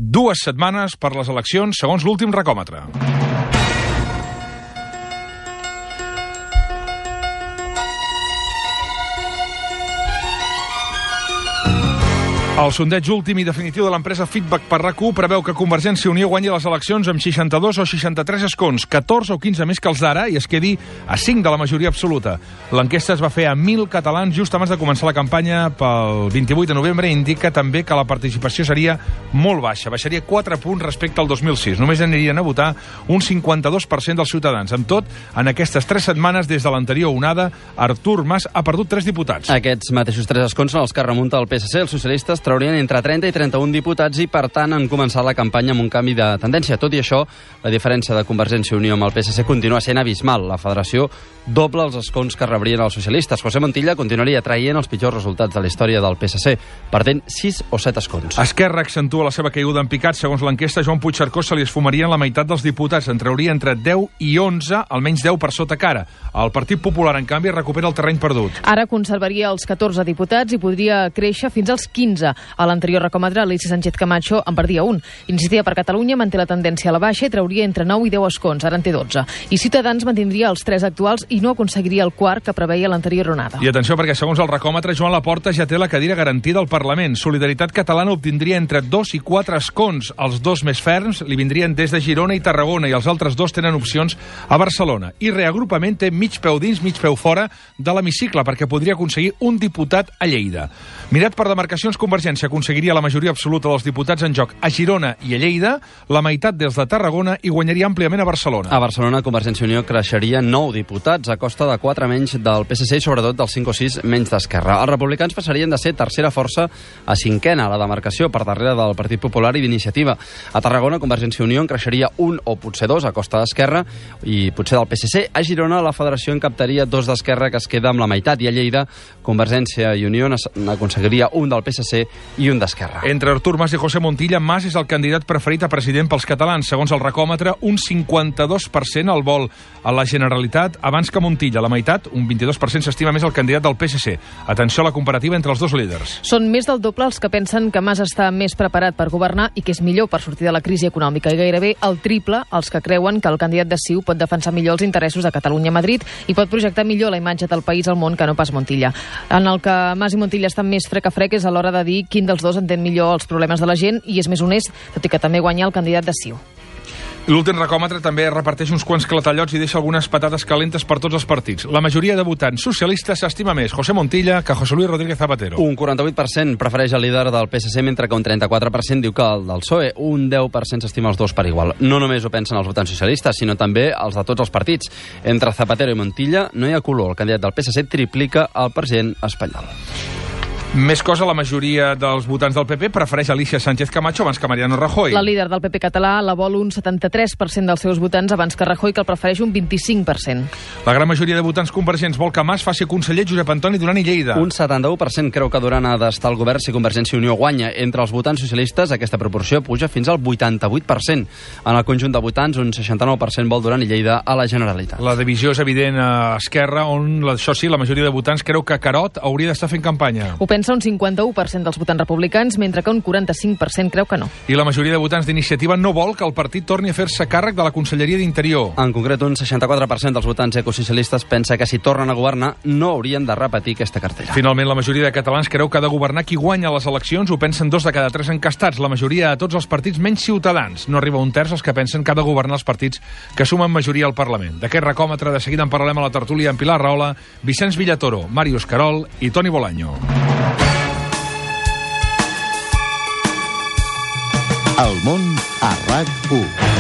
2 setmanes per les eleccions, segons l'últim recòmetre. El sondeig últim i definitiu de l'empresa Feedback per RAC1 preveu que Convergència i Unió guanyi les eleccions amb 62 o 63 escons, 14 o 15 més que els d'ara, i es quedi a 5 de la majoria absoluta. L'enquesta es va fer a 1.000 catalans just abans de començar la campanya pel 28 de novembre i indica també que la participació seria molt baixa, baixaria 4 punts respecte al 2006. Només anirien a votar un 52% dels ciutadans. Amb tot, en aquestes 3 setmanes des de l'anterior onada, Artur Mas ha perdut 3 diputats. Aquests mateixos 3 escons són els que remunta el PSC. Els socialistes traurien entre 30 i 31 diputats i, per tant, han començat la campanya amb un canvi de tendència. Tot i això, la diferència de Convergència i Unió amb el PSC continua sent abismal. La federació dobla els escons que rebrien els socialistes. José Montilla continuaria traient els pitjors resultats de la història del PSC, perdent 6 o 7 escons. Esquerra accentua la seva caiguda en picat. Segons l'enquesta, Joan Puigcercós se li esfumarien la meitat dels diputats. En trauria entre 10 i 11, almenys 10 per sota cara. El Partit Popular, en canvi, recupera el terreny perdut. Ara conservaria els 14 diputats i podria créixer fins als 15. A l'anterior recòmetre, Alicia Sánchez Camacho en perdia un. Iniciativa per Catalunya manté la tendència a la baixa i trauria entre 9 i 10 escons, ara en té 12. I Ciutadans mantindria els 3 actuals i no aconseguiria el quart que preveia l'anterior onada. I atenció, perquè segons el recòmetre, Joan Laporta ja té la cadira garantida al Parlament. Solidaritat Catalana obtindria entre 2 i 4 escons. Els 2 més ferms li vindrien des de Girona i Tarragona i els altres 2 tenen opcions a Barcelona. I Reagrupament té mig peu dins, mig peu fora de l'hemicicle, perquè podria aconseguir un diputat a Lleida. Mirat per demarcacions, Convergència aconseguiria la majoria absoluta dels diputats en joc a Girona i a Lleida, la meitat dels de Tarragona i guanyaria àmpliament a Barcelona. A Barcelona, Convergència i Unió creixeria 9 diputats a costa de 4 menys del PSC i sobretot dels 5 o 6 menys d'Esquerra. Els republicans passarien de ser tercera força a cinquena a la demarcació, per darrere del Partit Popular i d'Iniciativa. A Tarragona, Convergència i Unió en creixeria 1 o potser 2 a costa d'Esquerra i potser del PSC. A Girona, la federació en captaria 2 d'Esquerra, que es queda amb la meitat, i a Lleida, Convergència i Unió n'aconseguiria un del PSC i un d'Esquerra. Entre Artur Mas i José Montilla, Mas és el candidat preferit a president pels catalans. Segons el recòmetre, un 52% el vol a la Generalitat abans que Montilla. La meitat, un 22%, s'estima més el candidat del PSC. Atenció a la comparativa entre els dos líders. Són més del doble els que pensen que Mas està més preparat per governar i que és millor per sortir de la crisi econòmica, i gairebé el triple els que creuen que el candidat de CiU pot defensar millor els interessos de Catalunya a Madrid i pot projectar millor la imatge del país al món que no pas Montilla. En el que Mas i Montilla estan més frec a frec és a l'hora de dir quin dels dos entén millor els problemes de la gent i és més honest, tot i que també guanya el candidat de CiU. L'últim recòmetre també reparteix uns quants clatallots i deixa algunes patates calentes per tots els partits. La majoria de votants socialistes s'estima més José Montilla que José Luis Rodríguez Zapatero. Un 48% prefereix el líder del PSC, mentre que un 34% diu que el del PSOE. Un 10% s'estima els dos per igual. No només ho pensen els votants socialistes, sinó també els de tots els partits. Entre Zapatero i Montilla no hi ha color. El candidat del PSC triplica el president espanyol. Més cosa, la majoria dels votants del PP prefereix Alicia Sánchez Camacho abans que Mariano Rajoy. La líder del PP català la vol un 73% dels seus votants abans que Rajoy, que el prefereix un 25%. La gran majoria de votants convergents vol que Mas faci conseller Josep Antoni Duran i Lleida. Un 71% creu que Duran ha d'estar al govern si Convergència i Unió guanya. Entre els votants socialistes, aquesta proporció puja fins al 88%. En el conjunt de votants, un 69% vol Duran i Lleida a la Generalitat. La divisió és evident a Esquerra, on, això sí, la majoria de votants creu que Carod hauria d'estar fent campanya. Ho pensa un 51% dels votants republicans, mentre que un 45% creu que no. I la majoria de votants d'Iniciativa no vol que el partit torni a fer-se càrrec de la Conselleria d'Interior. En concret, un 64% dels votants ecosocialistes pensa que si tornen a governar no haurien de repetir aquesta cartera. Finalment, la majoria de catalans creu que ha de governar qui guanya les eleccions. Ho pensen 2 de cada 3 encastats. La majoria de tots els partits menys Ciutadans. No arriba un terç els que pensen que ha de governar els partits que sumen majoria al Parlament. D'aquest recòmetre, de seguida en parlarem a la tertúlia amb Pilar Rahola, Vicenç Villatoro, Màrius Carol i Toni Bolaño. El món a RAC1.